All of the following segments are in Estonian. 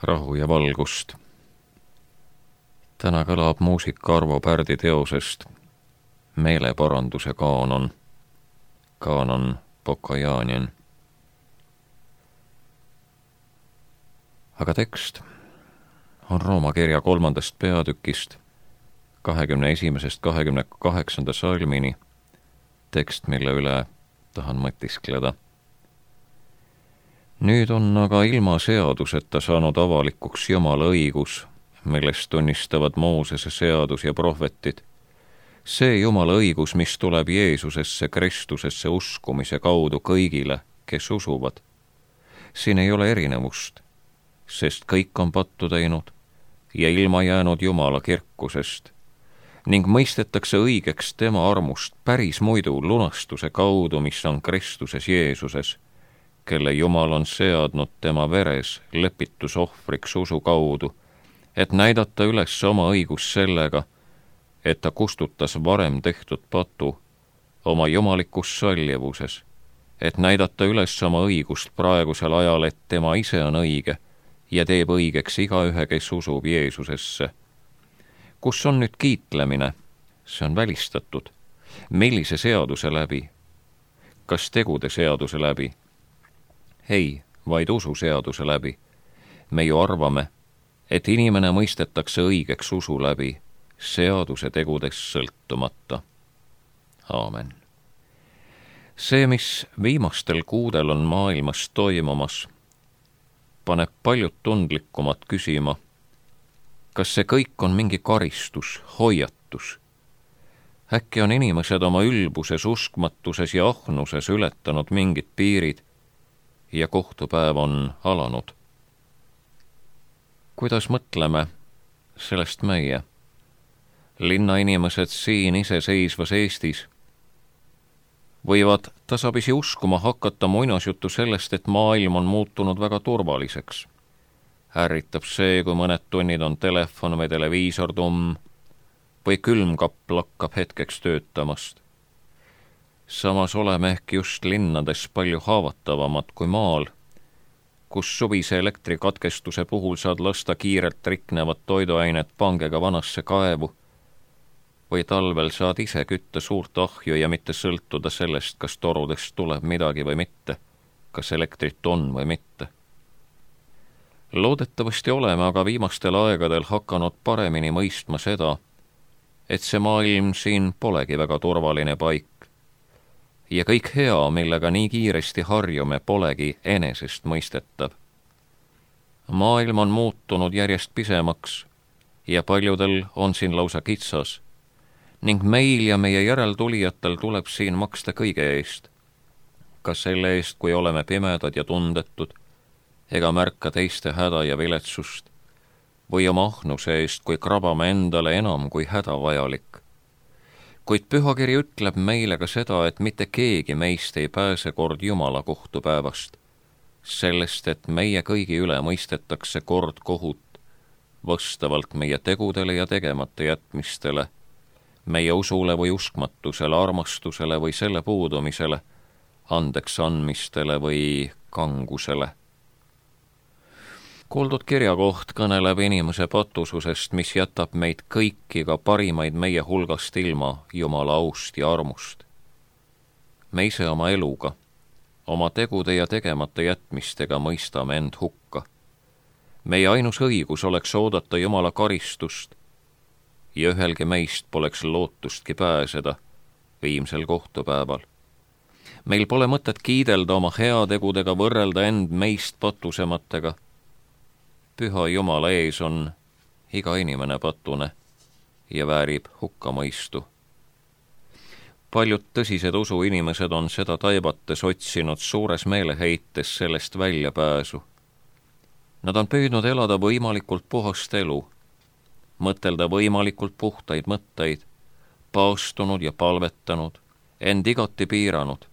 rahu ja valgust. Täna kõlab muusika Arvo Pärdi teosest Meeleparanduse kaanon, kaanon Pokajanien. Aga tekst on Rooma kirja 3. peatükist 21.–28. salmini, tekst, mille üle tahan mõtiskleda. Nüüd on aga ilma seaduseta saanud avalikuks Jumala õigus, millest tunnistavad Moosese seadus ja prohvetid. See Jumala õigus, mis tuleb Jeesusesse Kristusesse uskumise kaudu kõigile, kes usuvad. Siin ei ole erinevust, sest kõik on pattu teinud ja ilma jäänud Jumala kirkusest ning mõistetakse õigeks tema armust päris muidu lunastuse kaudu, mis on Kristuses Jeesuses, kelle Jumal on seadnud tema veres lepitusohvriks usu kaudu, et näidata üles oma õigus sellega, et ta kustutas varem tehtud patu oma jumalikus sallivuses, et näidata üles oma õigust praegusel ajal, et tema ise on õige ja teeb õigeks igaühe, kes usub Jeesusesse. Kus on nüüd kiitlemine? See on välistatud. Millise seaduse läbi? Kas tegude seaduse läbi? Ei, vaid ususeaduse läbi. Me ju arvame, et inimene mõistetakse õigeks usu läbi, seaduse tegudest sõltumata. Aamen. See, mis viimastel kuudel on maailmas toimumas, paneb paljud tundlikumad küsima, kas see kõik on mingi karistus, hoiatus? Äkki on inimesed oma ülbuses, uskmatuses ja ahnuses ületanud mingid piirid ja kohtupäev on alanud? Kuidas mõtleme sellest meie, linnainimesed siin iseseisvas Eestis, võivad tasapisi uskuma hakata muinasjuttu sellest, et maailm on muutunud väga turvaliseks. Ärritab see, kui mõned tunnid on telefon või televiisor tumm või külmkapp lakkab hetkeks töötamast. Samas oleme ehk just linnades palju haavatavamad kui maal, kus suvise elektrikatkestuse puhul saad lasta kiirelt riknevad toiduainet pangega vanasse kaevu või talvel saad ise kütta suurt ahju ja mitte sõltuda sellest, kas torudest tuleb midagi või mitte, kas elektrit on või mitte. Loodetavasti oleme aga viimastel aegadel hakanud paremini mõistma seda, et see maailm siin polegi väga turvaline paik ja kõik hea, millega nii kiiresti harjume, polegi enesest mõistetav. Maailm on muutunud järjest pisemaks ja paljudel on siin lausa kitsas ning meil ja meie järeltulijatel tuleb siin maksta kõige eest. Ka selle eest, kui oleme pimedad ja tundetud ega märka teiste häda ja viletsust või oma ahnuse eest, kui krabame endale enam kui hädavajalik. Kuid pühakiri ütleb meile ka seda, et mitte keegi meist ei pääse kord Jumala kohtupäevast, sellest, et meie kõigi üle mõistetakse kord kohut vastavalt meie tegudele ja tegemata jätmistele, meie usule või uskmatusele, armastusele või selle puudumisele, andeks andmistele või kangusele. Kuuldud kirjakoht kõneleb inimese patususest, mis jätab meid kõiki, ka parimaid meie hulgast ilma Jumala aust ja armust. Me ise oma eluga, oma tegude ja tegemata jätmistega mõistame end hukka. Meie ainus õigus oleks oodata Jumala karistust ja ühelgi meist poleks lootustki pääseda viimsel kohtupäeval. Meil pole mõtet kiidelda oma heategudega, võrrelda end meist patusematega. Püha Jumala ees on iga inimene patune ja väärib hukkamõistu. Paljud tõsised usuinimesed on seda taibates otsinud suures meeleheites sellest väljapääsu. Nad on püüdnud elada võimalikult puhast elu, mõtelda võimalikult puhtaid mõtteid, paastunud ja palvetanud, end igati piiranud.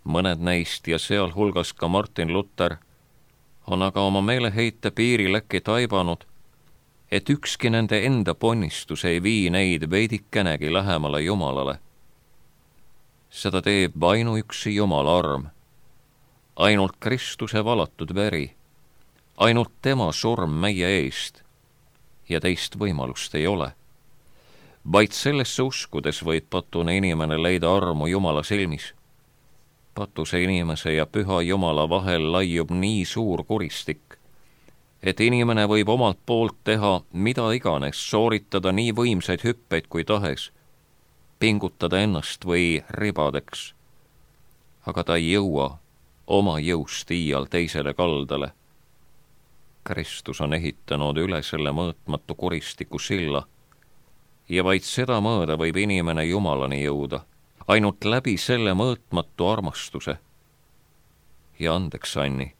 Mõned neist ja sealhulgas ka Martin Luther on aga oma meeleheite piiril äkki taibanud, et ükski nende enda ponnistus ei vii neid veidikenegi lähemale Jumalale. Seda teeb ainuüksi Jumala arm, ainult Kristuse valatud veri, ainult tema surm meie eest ja teist võimalust ei ole. Vaid sellesse uskudes võib patune inimene leida armu Jumala silmis. Patuse inimese ja püha Jumala vahel laiub nii suur kuristik, et inimene võib omalt poolt teha mida iganes, sooritada nii võimsaid hüppeid kui tahes, pingutada ennast või ribadeks, aga ta ei jõua oma jõust iial teisele kaldale. Kristus on ehitanud üle selle mõõtmatu kuristiku silla ja vaid seda mööda võib inimene Jumalani jõuda, ainult läbi selle mõõtmatu armastuse. Ja andeks Anni,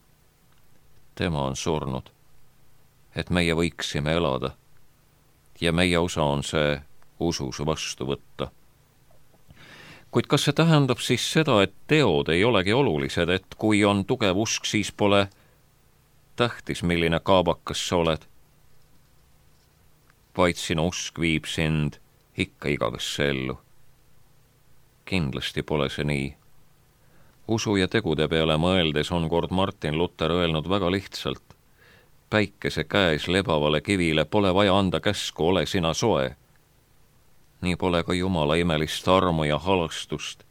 tema on surnud, et meie võiksime elada ja meie osa on see usus vastu võtta. Kuid kas see tähendab siis seda, et teod ei olegi olulised, et kui on tugev usk, siis pole tähtis, milline kaabakas sa oled, vaid sinu usk viib sind ikka igavesse ellu? Kindlasti pole see nii. Usu ja tegude peale mõeldes on kord Martin Luther öelnud väga lihtsalt: päikese käes lebavale kivile pole vaja anda käsku, ole sina soe. Nii pole ka Jumala imelist armu ja halastust,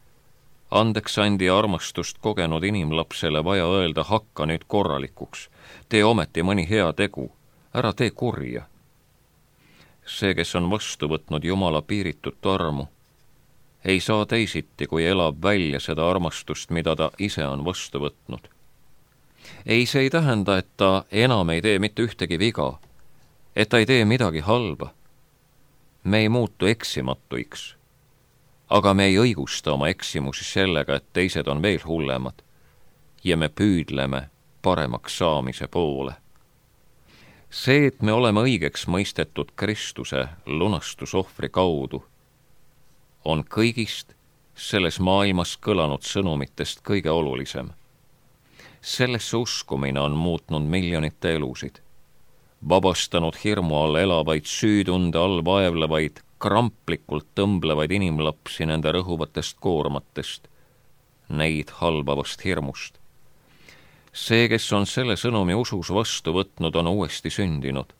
andeks andi armastust kogenud inimlapsele vaja öelda: hakka nüüd korralikuks, tee ometi mõni hea tegu, ära tee kurja. See, kes on vastu võtnud Jumala piiritut armu, ei saa teisiti, kui elab välja seda armastust, mida ta ise on vastu võtnud. Ei, see ei tähenda, et ta enam ei tee mitte ühtegi viga, et ta ei tee midagi halba. Me ei muutu eksimatuiks, aga me ei õigusta oma eksimusi sellega, et teised on veel hullemad ja me püüdleme paremaks saamise poole. See, et me oleme õigeks mõistetud Kristuse lunastusohvri kaudu, on kõigist selles maailmas kõlanud sõnumitest kõige olulisem. Sellesse uskumine on muutnud miljonite elusid, vabastanud hirmu all elavaid, süütunde all vaevlevaid, kramplikult tõmblevaid inimlapsi nende rõhuvatest koormatest, neid halbavast hirmust. See, kes on selle sõnumi usus vastu võtnud, on uuesti sündinud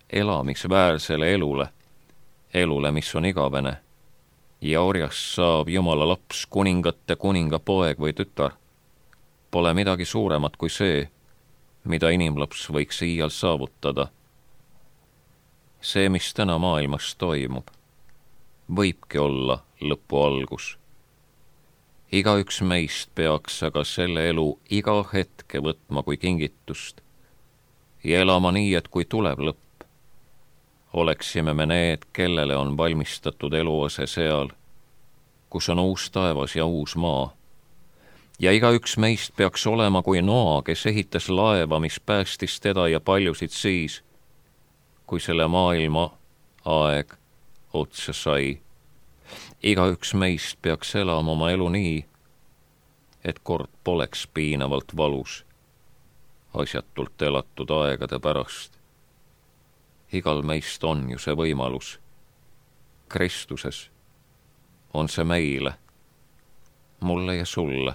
elamisväärsele elule, mis on igavene, ja orjast saab Jumala laps, kuningate kuninga poeg või tütar. Pole midagi suuremat kui see, mida inimlaps võiks iial saavutada. See, mis täna maailmas toimub, võibki olla lõpu algus. Igaüks meist peaks aga selle elu iga hetke võtma kui kingitust ja elama nii, et kui tuleb lõpp, oleksime me need, kellele on valmistatud eluase seal, kus on uus taevas ja uus maa. Ja igaüks meist peaks olema kui Noa, kes ehitas laeva, mis päästis teda ja paljusid siis, kui selle maailma aeg otsa sai. Igaüks meist peaks elama oma elu nii, et kord poleks piinavalt valus asjatult elatud aegade pärast. Igal meist on ju see võimalus. Kristuses on see meile, mulle ja sulle,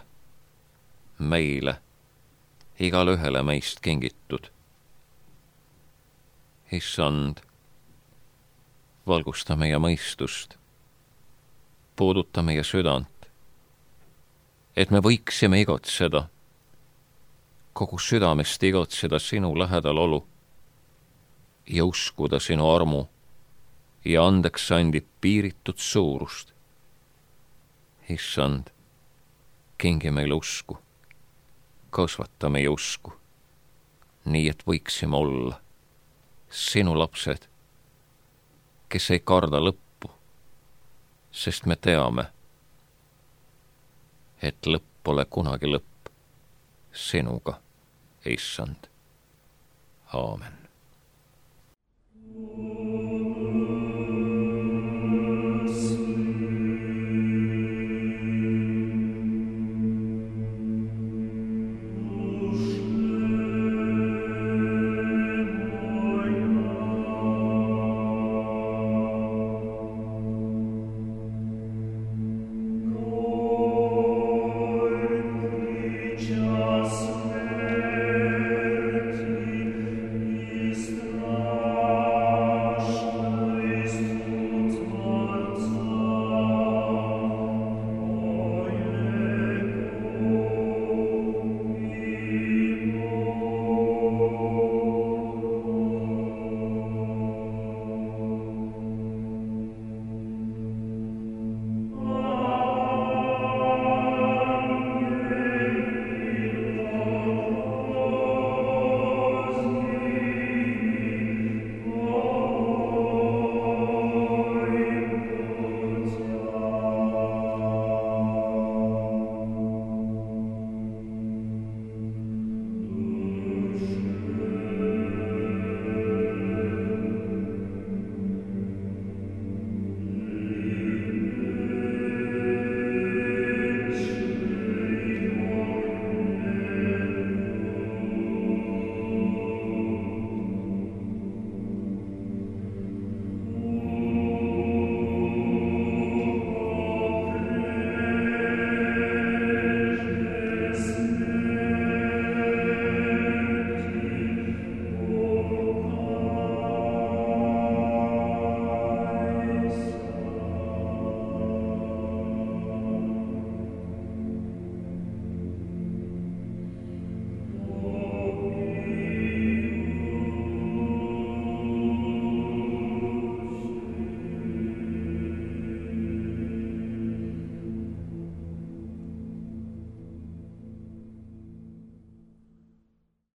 meile, igale ühele meist kingitud. Issand, valgusta meie mõistust, puuduta meie südant, et me võiksime igotseda, kogu südamest igotseda sinu lähedal olu ja uskuda sinu armu ja andeks andi piiritud suurust. Issand, kingi meile usku, kasvata meie usku, nii et võiksime olla sinu lapsed, kes ei karda lõppu, sest me teame, et lõpp pole kunagi lõpp sinuga, Issand. Aamen.